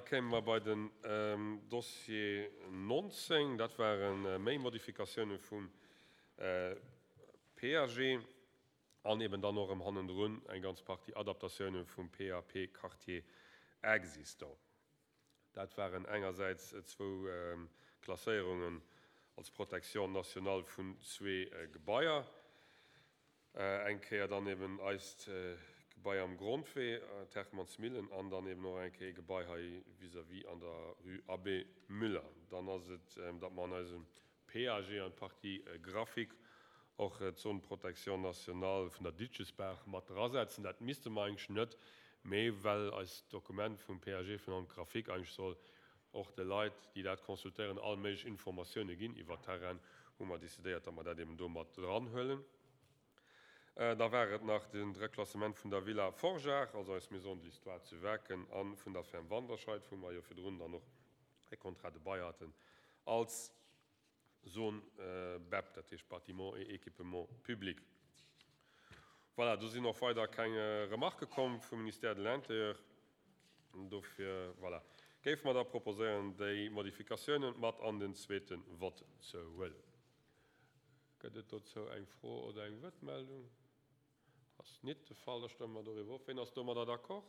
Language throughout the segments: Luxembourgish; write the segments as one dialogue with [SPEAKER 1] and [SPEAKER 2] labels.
[SPEAKER 1] kéime mer bei den Dossier 19. Dat ware méi Modifikatioune vum PAG an eben dann och erëm hannendrun eng ganz Partie Adaptatioune vum PAP Quartier existant. Dat waren engersäits zwou Klasséierungen als Protection nationale vun zwee Gebaier, eng Kéier dann eben eist Gebai am Grondwee, d'Hermannsmillen, an dann eben och eng Kéier ee Gebai hei vis-à-vis an der Rue Abbé Müller. Dann ass et, datt mer an eisem PAG an d'Partie graphique och d'Zone protection nationale vun der Ditchesbaach mat drasetzen. Dat misste mer eigentlech net, mee well eist Dokument vum PAG vun allem d'Graphique eigentlech soll och de Leit, déi dat consultéieren, all méiglech Informatioune ginn iwwer d'Terrainen, hu mer decidéiert, datt mer dat eben do mat dranhuelen. Da war et nach de Reklassement vun der Villa Forgeard, also eis Maison de l'Histoire zu Waarken, a vun der Ferme Wanderscheid, wou mer jo virdrun dann och e Contrat de bail haten als Zone BEP, dat heescht Bâtiments et équipements publics. Voilà, do sinn och weider keng Remarquë komm vum Ministère de l'Intérieur. Dofir, voilà, géife mer da proposéieren, déi Modifikatiounen mat an den zweete Vott ze huelen. Gëtt et dozou eng Fro oder eng Wuertmeldung? Ass nit de Fall. Da stëmme mer doriwwer of. Ween ass domadder d'accord?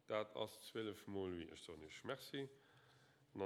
[SPEAKER 1] Dat ass 12 mol oui. Ech soen Iech Merci.